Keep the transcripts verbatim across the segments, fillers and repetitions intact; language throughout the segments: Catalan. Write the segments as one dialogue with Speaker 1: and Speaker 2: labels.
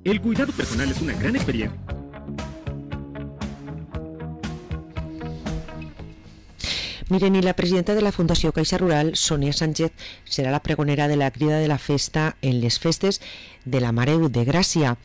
Speaker 1: El cuidado personal es una gran experiencia.
Speaker 2: Miren, i la presidenta de la Fundació Caixa Rural, Sònia Sánchez, serà la pregonera de la crida de la festa en les festes de la Mare de Gràcia.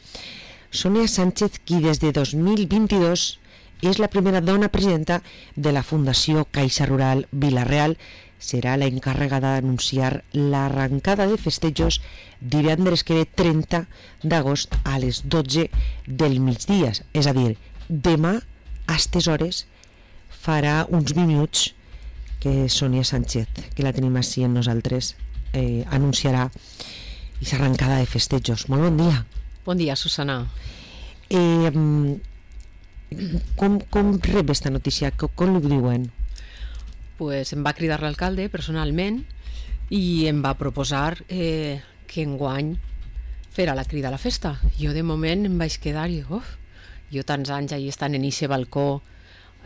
Speaker 2: Sònia Sánchez, qui des de dos mil vint-i-dos és la primera dona presidenta de la Fundació Caixa Rural Vila-real, serà la encarregada d'anunciar l'arrencada de festejos divendres que ve trenta d'agost a les dotze del migdia. És a dir, demà, a aquestes hores, farà uns minuts que Sònia Sánchez, que la tenim així en nosaltres, eh, anunciarà aquesta arrencada de festejos. Molt bon dia.
Speaker 3: Bon dia, Susana.
Speaker 2: Eh, com, com rep aquesta notícia? Com, com ho diuen?
Speaker 3: Pues em va cridar l'alcalde personalment i em va proposar eh, que enguany fera la crida a la festa. Jo de moment em vaig quedar i uf, jo tants anys allà estant en eixe balcó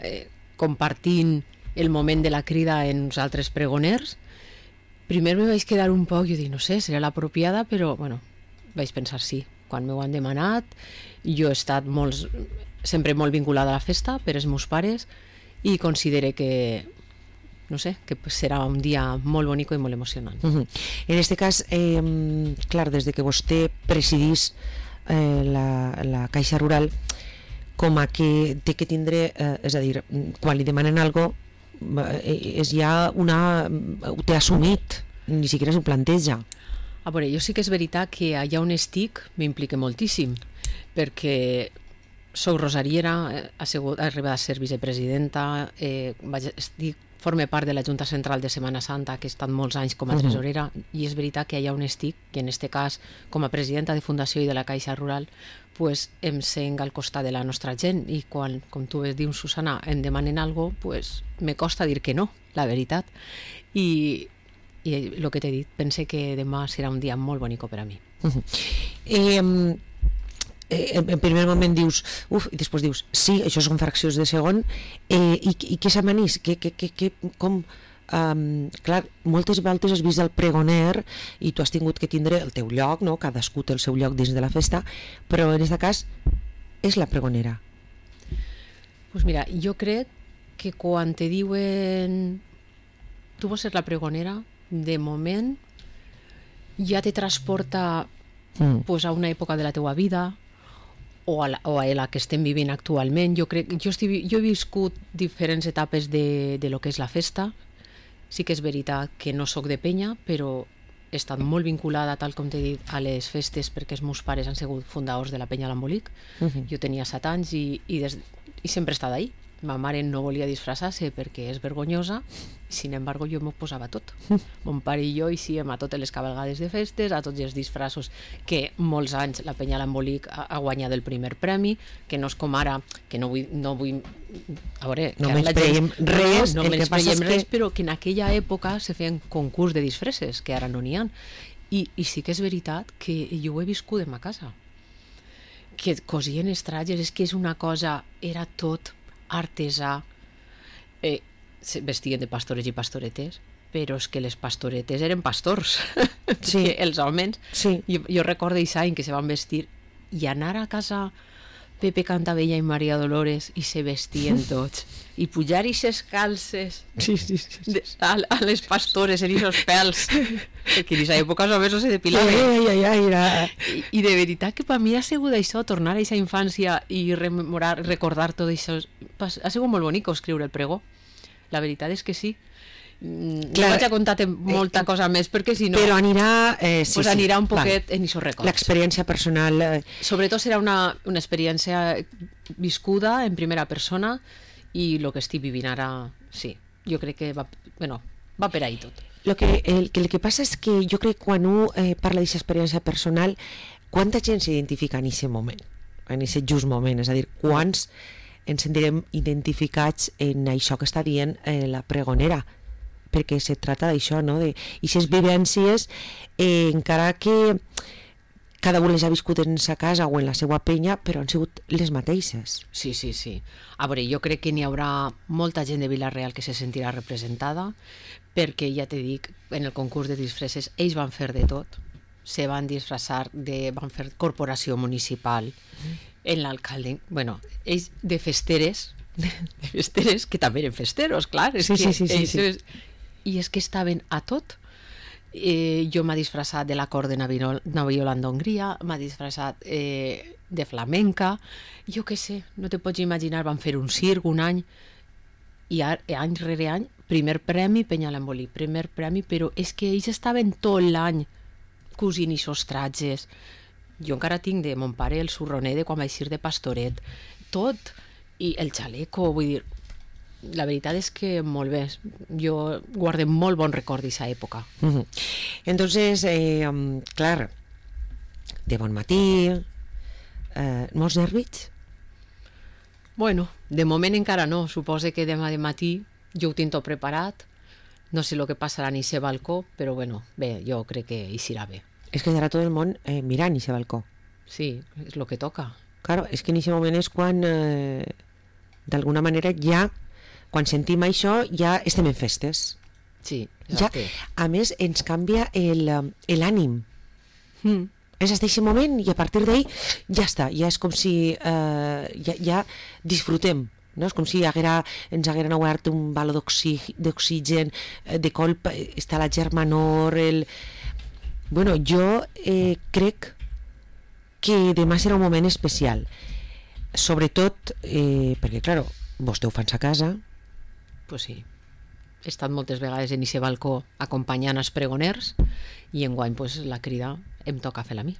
Speaker 3: eh, compartint el moment de la crida en uns altres pregoners. Primer me vaig quedar un poc, jo dic, no sé, serà l'apropiada, però bueno, vaig pensar sí. Quan m'ho han demanat, jo he estat molt, sempre molt vinculada a la festa per els meus pares i considere que no sé, que serà un dia molt bonic i molt emocionant.
Speaker 2: Uh -huh. En aquest cas, eh, clar, des de que vostè presidís eh, la, la Caixa Rural, com a que té que tindre, eh, és a dir, quan li demanen alguna cosa, eh, és ja una... ho té assumit, ni siquiera s'ho planteja.
Speaker 3: A veure, jo sí que és veritat que allà on estic m'implica moltíssim, perquè soc rosariera, he sigut, he arribat a ser vicepresidenta, eh, vaig, estic forma part de la Junta Central de Setmana Santa, que he estat molts anys com a tresorera, uh-huh. i és veritat que allà on estic, que en aquest cas com a presidenta de Fundació i de la Caixa Rural, pues, em sent al costat de la nostra gent, i quan, com tu dius, Susana, em demanen alguna cosa, pues, me costa dir que no, la veritat. I, i el que t'he dit, pense que demà serà un dia molt bonic per a mi.
Speaker 2: Uh-huh. eh, Eh, en primer moment dius uf, i després dius, sí, això són fraccions de segon, eh, i, i què s'amanís? Que, que, que, que, com, um, clar, moltes voltes has vist el pregoner i tu has tingut que tindre el teu lloc, no? Cadascú té el seu lloc dins de la festa, però en aquest cas és la pregonera.
Speaker 3: Pues mira, jo crec que quan te diuen tu vols ser la pregonera, de moment ja te transporta mm. pues, a una època de la teua vida, o a, la, o a la que estem vivint actualment. Jo crec, jo, estic, jo he viscut diferents etapes de, de lo que és la festa. Sí que és veritat que no sóc de penya, però he estat molt vinculada, tal com t'he dit, a les festes, perquè els meus pares han sigut fundadors de la penya L'Embolic. Uh-huh. Jo tenia set anys i, i, des, i sempre he estat ahí. Ma mare no volia disfressar-se perquè és vergonyosa, sin embargo jo m'ho posava tot. Mon pare i jo eixíem a totes les cabalgades de festes, a tots els disfressos, que molts anys la penya L'Embolic ha, ha guanyat el primer premi, que no és com ara, que no vull... No vull a veure,
Speaker 2: no menyspreiem res,
Speaker 3: no, no
Speaker 2: el que passa és
Speaker 3: res,
Speaker 2: que...
Speaker 3: però que en aquella època se feien concurs de disfresses, que ara no n'hi ha. I, I sí que és veritat que jo ho he viscut en ma casa. Que cosien els trajes, és que és una cosa, era tot artesà, eh, vestien de pastores i pastoretes, però és que les pastoretes eren pastors, sí. els homes, sí. jo, jo recordo aquest any que se van vestir i anar a casa Pepe Cantabella i Maria Dolores i se vestien tots, i pujar ixes calces
Speaker 2: sí, sí, sí, sí.
Speaker 3: De, a, a les pastores en ixos pèls, que en aquesta època els homes no se depilaven.
Speaker 2: Ai, ai, ai, ai.
Speaker 3: I, I de veritat que per mi ha sigut això, tornar a aquesta infància i rememorar, recordar tot això, ha sigut molt bonic escriure el pregó. La veritat és que sí. Clar, no vaig a contar molta eh, cosa més perquè si no...
Speaker 2: Però anirà... Eh, sí,
Speaker 3: pues anirà un poquet
Speaker 2: clar.
Speaker 3: En aquests records.
Speaker 2: L'experiència personal... Eh...
Speaker 3: Sobretot serà una, una experiència viscuda en primera persona i el que estic vivint ara, sí. Jo crec que va, bueno, va per ahí tot.
Speaker 2: Lo que, el, el que passa és que jo crec que quan un eh, parla d'aquesta experiència personal, quanta gent s'identifica en aquest moment, en aquest just moment, és a dir, quants ens sentirem identificats en això que està dient eh, la pregonera, perquè se trata d'això, no? De aquestes vivències, eh, encara que cada un les ha viscut en sa casa o en la seva penya, però han sigut les mateixes.
Speaker 3: Sí, sí, sí. A veure, jo crec que n'hi haurà molta gent de Vila-real que se sentirà representada, perquè ja te dic, en el concurs de disfresses ells van fer de tot, se van disfrazar de... van fer corporació municipal en l'alcalde, bueno, ells de festeres, de festeres, que també eren festeros, clar, és
Speaker 2: Sí,
Speaker 3: que
Speaker 2: sí, sí, sí, sí.
Speaker 3: és, i és que estaven a tot. Eh, jo m'ha disfressat de l'acord de Naviola d'Hongria, m'ha disfressat eh, de flamenca, jo què sé, no te pots imaginar, van fer un circ un any, i a, any rere any, primer premi Peñalembolí, primer premi, però és que ells estaven tot l'any cosint i sostratges. Jo encara tinc de mon pare el surroner de quan vaig ir de pastoret, tot, i el xaleco, vull dir, la veritat és que molt bé, jo guardo molt bon record d'aquesta època.
Speaker 2: Uh-huh. Entonces, eh, um, clar, de bon matí, eh, molts nervis?
Speaker 3: Bueno, de moment encara no, suposo que demà de matí jo ho tinc tot preparat, no sé el que passarà en aquest balcó, però bueno, bé, jo crec que hi serà bé.
Speaker 2: És que estarà tot el món eh, mirant aquest balcó.
Speaker 3: Sí, és el que toca.
Speaker 2: Claro, és que en aquest moment és quan, eh, d'alguna manera, ja, quan sentim això, ja estem en festes.
Speaker 3: Sí,
Speaker 2: Ja,
Speaker 3: exacte.
Speaker 2: a més, ens canvia el, eh, l'ànim.
Speaker 3: Mm.
Speaker 2: És hasta aquest moment i a partir d'ahí ja està, ja és com si eh, ja, ja disfrutem, no? És com si haguera, ens hagueren obert un baló d'oxigen, eh, de colp està la germanor, el... Bueno, jo eh, crec que demà serà un moment especial, sobretot eh, perquè, claro, vostè ho fan a casa.
Speaker 3: Pues sí. He estat moltes vegades en aquest balcó acompanyant els pregoners i enguany pues, la crida em toca fer-la a mi.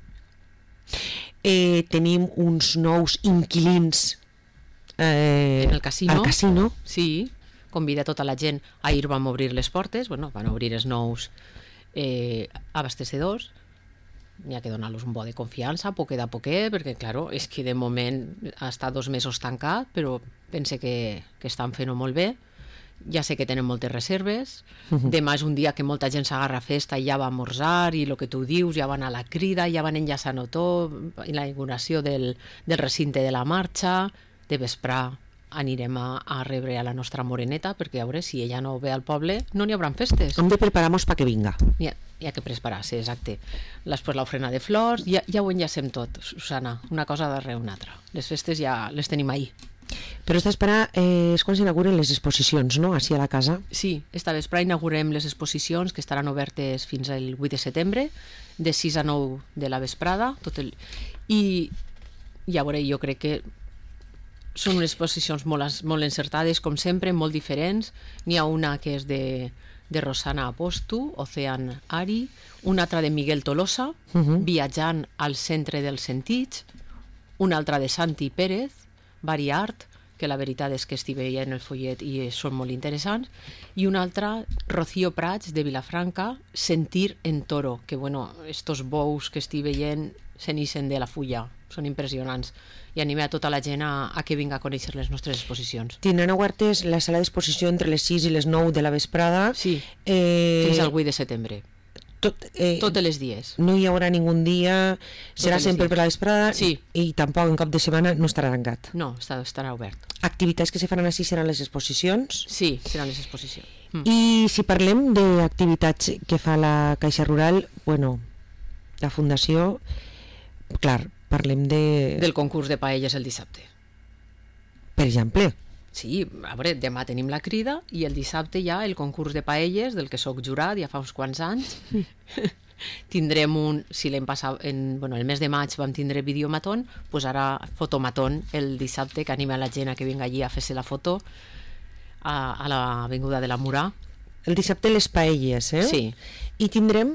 Speaker 2: Eh, tenim uns nous inquilins eh,
Speaker 3: En el casino.
Speaker 2: al casino.
Speaker 3: Sí, convida tota la gent. Ahir vam obrir les portes, bueno, van obrir els nous eh, abastecedors. N'hi ha que donar-los un bo de confiança, poquet a poquet, perquè, claro, és que de moment ha estat dos mesos tancat, però pense que, que estan fent-ho molt bé. Ja sé que tenen moltes reserves. Demà és un dia que molta gent s'agarra a festa i ja va a esmorzar, i el que tu dius, ja van a la crida, ja van enllaçant-ho tot, i la inauguració del, del recinte de la marxa. De vesprar anirem a, a rebre a la nostra moreneta, perquè a veure, si ella no ve al poble, no n'hi haurà festes.
Speaker 2: Hem de preparar-nos perquè vinga.
Speaker 3: Hi ha, hi ha que preparar-se, exacte. Després l'ofrena de flors, ja, ja ho enllacem tot, Susana, una cosa darrere una altra. Les festes ja les tenim ahir.
Speaker 2: Però esta espera eh, és quan s'inauguren les exposicions, no?, així a la casa.
Speaker 3: Sí, esta vespre inaugurem les exposicions que estaran obertes fins al vuit de setembre, de sis a nou de la vesprada, tot el... i ja veure, jo crec que són unes exposicions molt, molt encertades, com sempre, molt diferents. N'hi ha una que és de, de Rosana Apostu, Ocean Ari, una altra de Miguel Tolosa,
Speaker 2: Uh-huh.
Speaker 3: viatjant al centre dels sentits, una altra de Santi Pérez, Vari Art, que la veritat és que estic veient el follet i són molt interessants, i una altra, Rocío Prats, de Vilafranca, Sentir en Toro, que, bueno, estos bous que estic veient se n'ixen de la fulla, són impressionants, i animem a tota la gent a, a que vinga a conèixer les nostres exposicions.
Speaker 2: Tindran obertes la sala d'exposició entre les sis i les nou de la vesprada.
Speaker 3: Sí,
Speaker 2: eh,
Speaker 3: fins al vuit de setembre,
Speaker 2: tot, eh,
Speaker 3: tots els dies.
Speaker 2: no hi haurà ningú dia, serà
Speaker 3: els
Speaker 2: sempre
Speaker 3: dies.
Speaker 2: per la vesprada.
Speaker 3: Sí.
Speaker 2: I tampoc en cap de setmana no estarà tancat.
Speaker 3: No, està, estarà obert.
Speaker 2: Activitats que se faran així seran les exposicions.
Speaker 3: Sí, seran les exposicions. Mm.
Speaker 2: I si parlem d'activitats que fa la Caixa Rural, bueno, la Fundació, clar, parlem de...
Speaker 3: Del concurs de paelles el dissabte.
Speaker 2: Per exemple,
Speaker 3: Sí, a veure, demà tenim la crida i el dissabte hi ha el concurs de paelles del que sóc jurat ja fa uns quants anys. Tindrem un, si l'hem passat, en, bueno, el mes de maig vam tindre videomatón, doncs ara fotomatón el dissabte, que anima la gent a que vinga allí a fer-se la foto a, a l'avinguda de la Murà.
Speaker 2: el dissabte les paelles, eh?
Speaker 3: Sí,
Speaker 2: I tindrem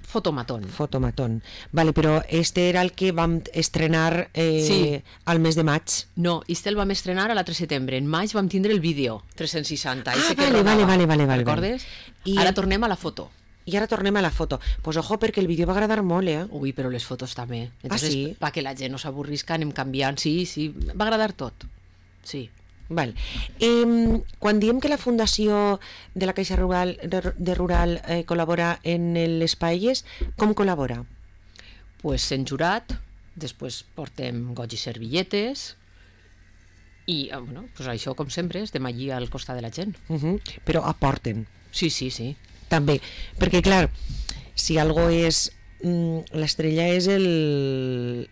Speaker 3: fotomatón.
Speaker 2: fotomatón. Vale, però este era el que vam estrenar eh,
Speaker 3: Sí.
Speaker 2: al mes de maig.
Speaker 3: No, este el vam estrenar a l'altre setembre. En maig vam tindre el vídeo trescents seixanta.
Speaker 2: Ah,
Speaker 3: ese que
Speaker 2: vale,
Speaker 3: rodava.
Speaker 2: vale, vale, vale,
Speaker 3: Recordes?
Speaker 2: I
Speaker 3: Ara
Speaker 2: el-
Speaker 3: tornem a la foto.
Speaker 2: I ara tornem a la foto. Pues ojo, perquè el vídeo va agradar molt, eh?
Speaker 3: Ui, però les fotos també. Entonces,
Speaker 2: sí?
Speaker 3: pa que la gent no s'avorrisca, anem canviant. Sí, sí, va agradar tot. Sí.
Speaker 2: Val. Eh, quan diem que la Fundació de la Caixa Rural, de, de Rural eh, col·labora en les paelles, com col·labora?
Speaker 3: Pues sent jurat, després portem goig i servilletes i, eh, bueno, pues això, com sempre, estem allí al costat de la gent.
Speaker 2: Uh -huh. Però aporten.
Speaker 3: Sí, sí, sí.
Speaker 2: També, perquè clar, si algo és mm, l'estrella és el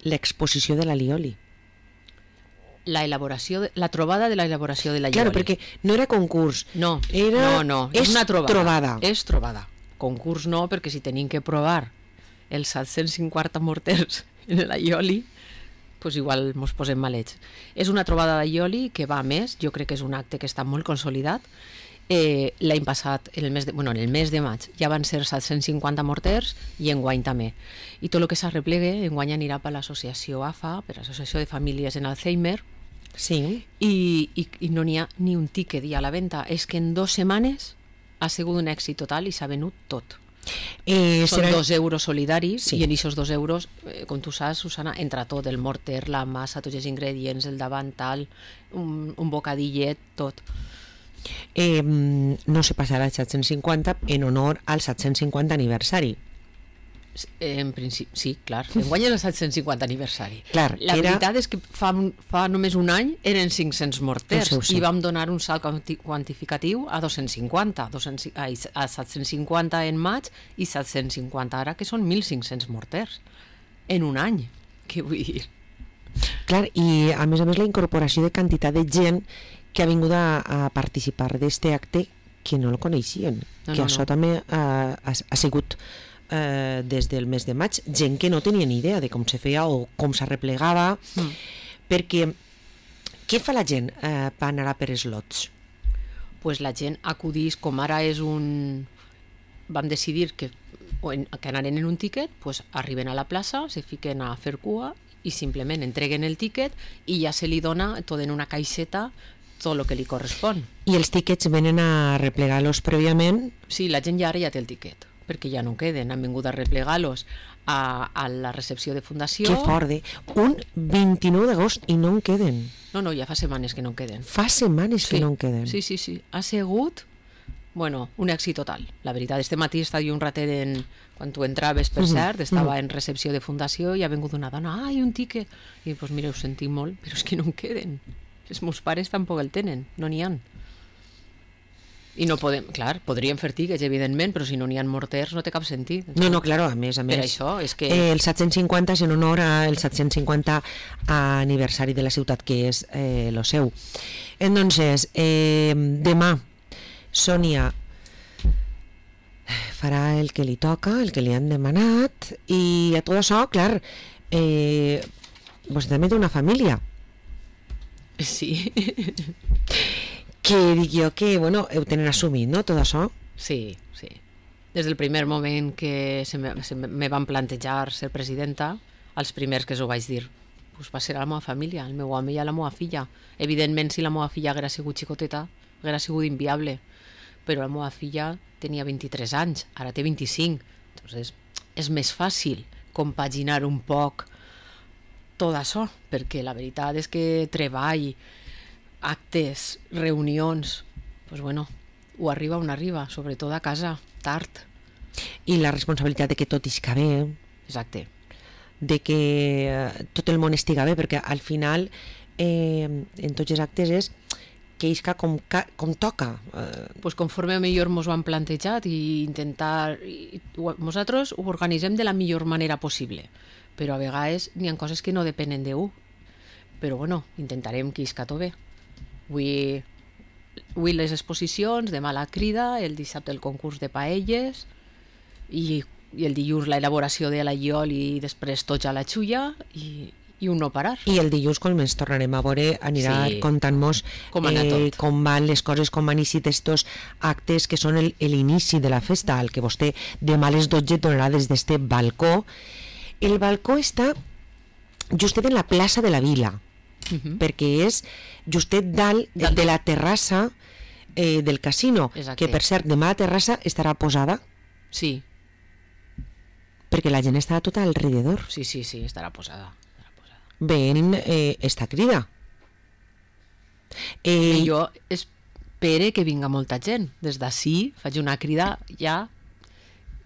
Speaker 2: l'exposició de l'alioli.
Speaker 3: La elaboració, de, la trobada de la elaboració de la
Speaker 2: Claro,
Speaker 3: Ioli.
Speaker 2: perquè no era concurs.
Speaker 3: No,
Speaker 2: era,
Speaker 3: no, no, és,
Speaker 2: és
Speaker 3: una trobada.
Speaker 2: trobada.
Speaker 3: És trobada. Concurs no, perquè si tenim que provar els set-cents cinquanta morters en l'aioli, pues igual mos posem malets. És una trobada d'aioli que va a més, jo crec que és un acte que està molt consolidat. Eh, l'any passat, en el, mes de, bueno, en el mes de maig, ja van ser set-cents cinquanta morters i enguany també. I tot el que s'arreplegue, enguany anirà per l'associació A F A, per l'Associació de Famílies en Alzheimer,
Speaker 2: Sí.
Speaker 3: i, i, i no n'hi ha ni un tiquet ja a la venda. És que en dues setmanes ha sigut un èxit total i s'ha venut tot.
Speaker 2: Eh,
Speaker 3: Són
Speaker 2: serà...
Speaker 3: dos euros solidaris
Speaker 2: Sí.
Speaker 3: i en aquests dos euros, eh, com tu saps, Susana, entra tot, el morter, la massa, tots els ingredients, el davantal, un, un bocadillet, tot.
Speaker 2: Eh, no se passarà el set-cents cinquanta en honor al set-cents cinquanta aniversari.
Speaker 3: En principi, sí, clar. Enguany és el set-cents cinquanta aniversari.
Speaker 2: Clar,
Speaker 3: la
Speaker 2: era-
Speaker 3: veritat és que fa, fa només un any eren cinc-cents morters
Speaker 2: Ho sé, ho sé.
Speaker 3: i vam donar un salt quanti- quantificatiu a dos-cents cinquanta, dos-cents, ai, a set-cents cinquanta en maig i set-cents cinquanta ara, que són mil cinc-cents morters en un any. Què vull dir?
Speaker 2: Clar, i a més a més la incorporació de quantitat de gent que ha vingut a, a participar d'este acte que no el coneixien,
Speaker 3: No,
Speaker 2: que
Speaker 3: no,
Speaker 2: això
Speaker 3: no.
Speaker 2: també ha, ha, ha sigut eh, des del mes de maig, gent que no tenia ni idea de com se feia o com s'arreplegava,
Speaker 3: Mm.
Speaker 2: perquè què fa la gent eh, per anar a per els lots?
Speaker 3: Pues la gent acudís, com ara és un... Vam decidir que, o en, que anaren en un tiquet, pues arriben a la plaça, se fiquen a fer cua i simplement entreguen el tiquet i ja se li dona tot en una caixeta tot el que li correspon.
Speaker 2: I els tíquets venen a replegar-los prèviament.
Speaker 3: Sí, la gent ja ara ja té el tiquet, perquè ja no queden, han vingut a replegar-los a, a la recepció de fundació.
Speaker 2: Que fort, eh? Un vint-i-nou d'agost i no en queden.
Speaker 3: No, no, ja fa setmanes que no en queden.
Speaker 2: Fa setmanes que no en queden.
Speaker 3: Sí, sí, sí. Ha sigut, bueno, un èxit total. La veritat, este matí estava jo un ratet en... Quan tu entraves, per
Speaker 2: Mhm,
Speaker 3: cert, estava
Speaker 2: mhm.
Speaker 3: en recepció de fundació i ha vingut una dona, ai, un tiquet. I doncs pues, mira, ho sentim molt, però és que no en queden. Els meus pares tampoc el tenen, no n'hi han. I no podem, clar, podríem fer tiquets, evidentment, però si no n'hi ha morters no té cap sentit.
Speaker 2: No, no, claro, a més, a més.
Speaker 3: Per això, és que...
Speaker 2: Eh, el set-cents cinquanta és en honor al set-cents cinquanta aniversari de la ciutat, que és eh, lo seu. Entonces, eh, demà, Sònia farà el que li toca, el que li han demanat, i a tot això, clar, eh, vostè també té una família,
Speaker 3: Sí,
Speaker 2: que dic jo que, bueno, ho tenen assumit, no?, tot això.
Speaker 3: sí, sí. Des del primer moment que se me, se me van plantejar ser presidenta, els primers que us ho vaig dir, pues va ser a la meva família, el meu home i a la meva filla. Evidentment, si la meva filla haguera sigut xicoteta, haguera sigut inviable, però la meva filla tenia vint-i-tres anys, ara té vint-i-cinc, entonces és més fàcil compaginar un poc tot això, perquè la veritat és que treball, actes, reunions, pues bueno, ho arriba on arriba, sobretot a casa, tard.
Speaker 2: I la responsabilitat de que tot isca bé,
Speaker 3: Exacte.
Speaker 2: de que eh, tot el món estiga bé, perquè al final eh, en tots els actes és que isca com, ca- com toca. Eh,
Speaker 3: Pues conforme millor mos ho han plantejat i intentar... I, ho- nosaltres ho organitzem de la millor manera possible, però a vegades n'hi ha coses que no depenen de u. Però bueno, intentarem que isca tot bé. Avui, avui les exposicions, demà la crida, el dissabte el concurs de paelles i, i el dilluns la elaboració de l'alliol i després tots a la xulla i, i un no parar.
Speaker 2: I el dilluns, quan ens tornarem a veure, anirà
Speaker 3: Sí.
Speaker 2: contant-nos
Speaker 3: Com ha anat tot.
Speaker 2: com van les coses, com han iniciat estos actes que són el- l'inici de la festa, el que vostè demà a les dotze donarà des d'este balcó. El balcó està justet en la plaça de la Vila,
Speaker 3: Uh-huh.
Speaker 2: perquè és justet dalt,
Speaker 3: Dalt.
Speaker 2: de la terrassa eh, del casino,
Speaker 3: Exacte.
Speaker 2: que per cert, demà la terrassa estarà posada
Speaker 3: Sí,
Speaker 2: perquè la gent estarà tota alrededor
Speaker 3: sí, sí, sí, estarà posada. Estarà posada.
Speaker 2: veient eh, esta crida.
Speaker 3: I
Speaker 2: Eh,
Speaker 3: jo espere que vinga molta gent. Des d'ací faig una crida ja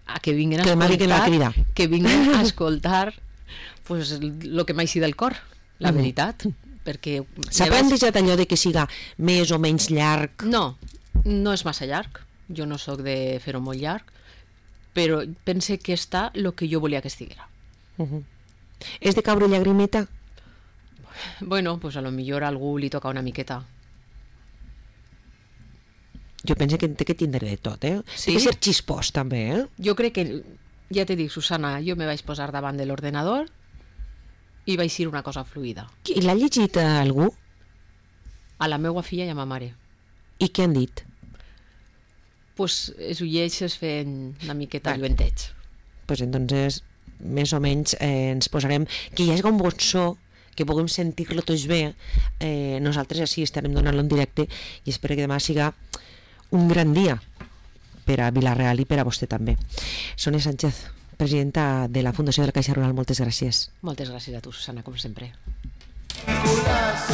Speaker 3: a que vinguin a
Speaker 2: Que demà vinguin a la
Speaker 3: escoltar,
Speaker 2: crida.
Speaker 3: que vinguin a escoltar pues, el que m'aixi del cor, la
Speaker 2: Mhm.
Speaker 3: veritat. Perquè
Speaker 2: S'ha
Speaker 3: me vaig-
Speaker 2: plantejat allò de que siga més o menys llarg?
Speaker 3: No, no és massa llarg. Jo no sóc de fer-ho molt llarg, però pense que està el que jo volia que estiguera.
Speaker 2: Uh -huh. És de caure llagrimeta?
Speaker 3: Bueno, pues a lo millor a algú li toca una miqueta.
Speaker 2: Jo penso que té que tindre de tot, eh?
Speaker 3: Sí?
Speaker 2: Té que ser xispós, també, eh?
Speaker 3: Jo crec que, ja te dic, Susana, jo me vaig posar davant de l'ordenador i vaig dir una cosa fluida.
Speaker 2: I l'ha llegit a algú?
Speaker 3: A la meva filla i a ma mare.
Speaker 2: I què han dit?
Speaker 3: Pues es ho llegeixes fent una miqueta
Speaker 2: Vale.
Speaker 3: lluenteig.
Speaker 2: Pues entonces, més o menys, eh, ens posarem... Que hi hagi un bon so, que puguem sentir-lo tots bé. Eh, nosaltres així estarem donant-lo en directe i espero que demà siga un gran dia per a Vila-real i per a vostè també. Sònia Sánchez, presidenta de la Fundació de la Caixa Rural, moltes gràcies.
Speaker 3: Moltes gràcies a tu, Susana, com sempre.
Speaker 4: Nicolás,